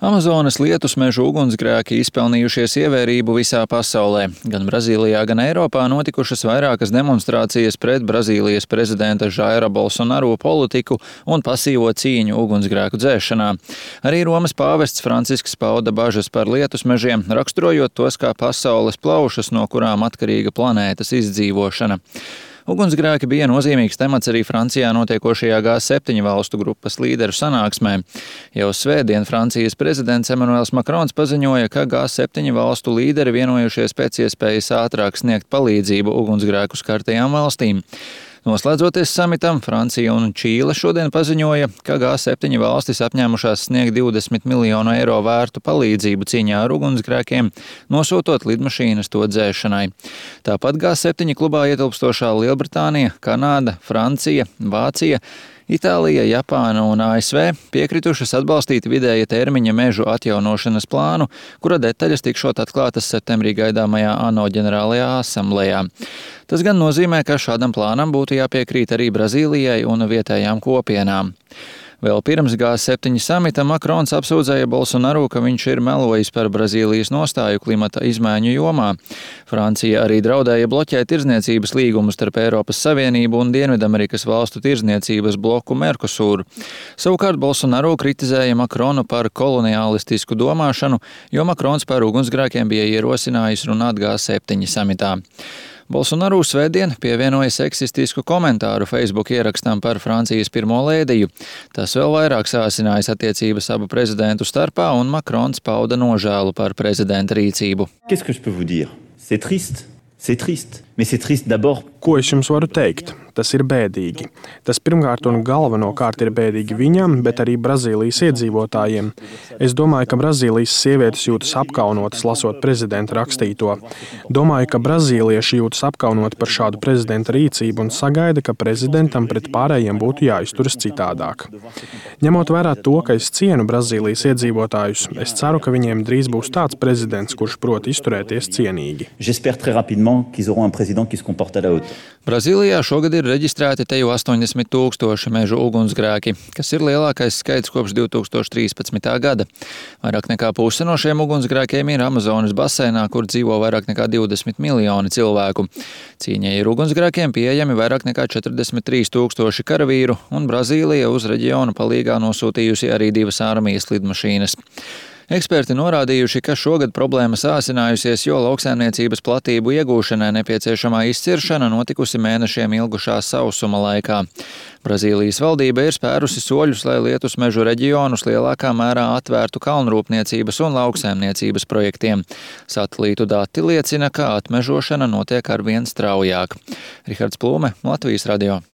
Amazonas lietusmežu ugunsgrēki izpelnījušies ievērību visā pasaulē. Gan Brazīlijā, gan Eiropā notikušas vairākas demonstrācijas pret Brazīlijas prezidenta Jaira Bolsonaru politiku un pasīvo cīņu ugunsgrēku dzēšanā. Arī Romas pāvests Francisks pauda bažas par lietusmežiem, raksturojot tos kā pasaules plaušas, no kurām atkarīga planētas izdzīvošana. Ugunsgrēki bija nozīmīgs temats arī Francijā notiekošajā G7 valstu grupas līderu sanāksmē. Jau svētdien Francijas prezidents Emmanuels Macrons paziņoja, ka G7 valstu līderi vienojušies pēc iespējas ātrāk sniegt palīdzību ugunsgrēku skartajām valstīm. Noslēdzoties samitam, Francija un Čīle šodien paziņoja, ka G7 valstis apņēmušās sniegt 20 miljonu eiro vērtu palīdzību cīņā ar ugunsgrēkiem, nosūtot lidmašīnas to dzēšanai. Tāpat G7 klubā ietilpstošā Lielbritānija, Kanāda, Francija, Vācija, Itālija, Japāna un ASV piekritušas atbalstīt vidēja termiņa mežu atjaunošanas plānu, kura detaļas tikšot atklātas septembrī gaidāmajā ANO ģenerālajā asamblējā. Tas gan nozīmē, ka šādam plānam būtu jāpiekrīt arī Brazīlijai un vietējām kopienām. Vēl pirms G7 samita Macrons apsūdzēja Bolsonaru, ka viņš ir melojis par Brazīlijas nostāju klimata izmaiņu jomā. Francija arī draudēja bloķēt tirdzniecības līgumu starp Eiropas Savienību un Dienvidamerikas valstu tirdzniecības bloku Mercosur. Savukārt Bolsonaru kritizēja Macronu par koloniālistisku domāšanu, jo Macrons par ugunsgrēkiem bija ierosinājis runāt G7 samitā. Bolsonaru svētdien pievienoja seksistisku komentāru Facebook ierakstam par Francijas pirmo lēdiju. Tas vēl vairāk sāsinājis attiecības abu prezidentu starpā, un Macrons pauda nožēlu par prezidenta rīcību. Ko es jums varu teikt? Tas ir bēdīgi. Tas pirmkārt un galvenokārt ir bēdīgi viņam, bet arī Brazīlijas iedzīvotājiem. Es domāju, ka Brazīlijas sievietes jūtas apkaunotas, lasot prezidenta rakstīto. Domāju, ka brazīlieši jūtas apkaunoti par šādu prezidenta rīcību un sagaida, ka prezidentam pret pārējiem būtu jāizturas citādāk. Ņemot vērā to, ka es cienu Brazīlijas iedzīvotājus, es ceru, ka viņiem drīz būs tāds prezidents, kurš prot izturēties cienīgi. Brazīlijā šogad ir reģistrēti te jau 80 000 mežu ugunsgrēki, kas ir lielākais skaits kopš 2013. gada. Vairāk nekā puse no šiem ugunsgrēkiem ir Amazonas basēnā, kur dzīvo vairāk nekā 20 miljoni cilvēku. Cīņai ar ugunsgrēkiem pieejami vairāk nekā 43 000 karavīru, un Brazīlija uz reģionu palīgā nosūtījusi arī 2 armijas lidmašīnas. Eksperti norādījuši, ka šogad problēma sāsinājusies, jo lauksaimniecības platību iegūšanai nepieciešamā izciršana notikusi mēnešiem ilgušā sausuma laikā. Brazīlijas valdība ir spērusi soļus, lai lietusmežu reģionus lielākā mērā atvērtu kalnrūpniecības un lauksaimniecības projektiem. Satelītu dati liecina, ka atmežošana notiek arvien straujāk. Rihards Plūme, Latvijas radio.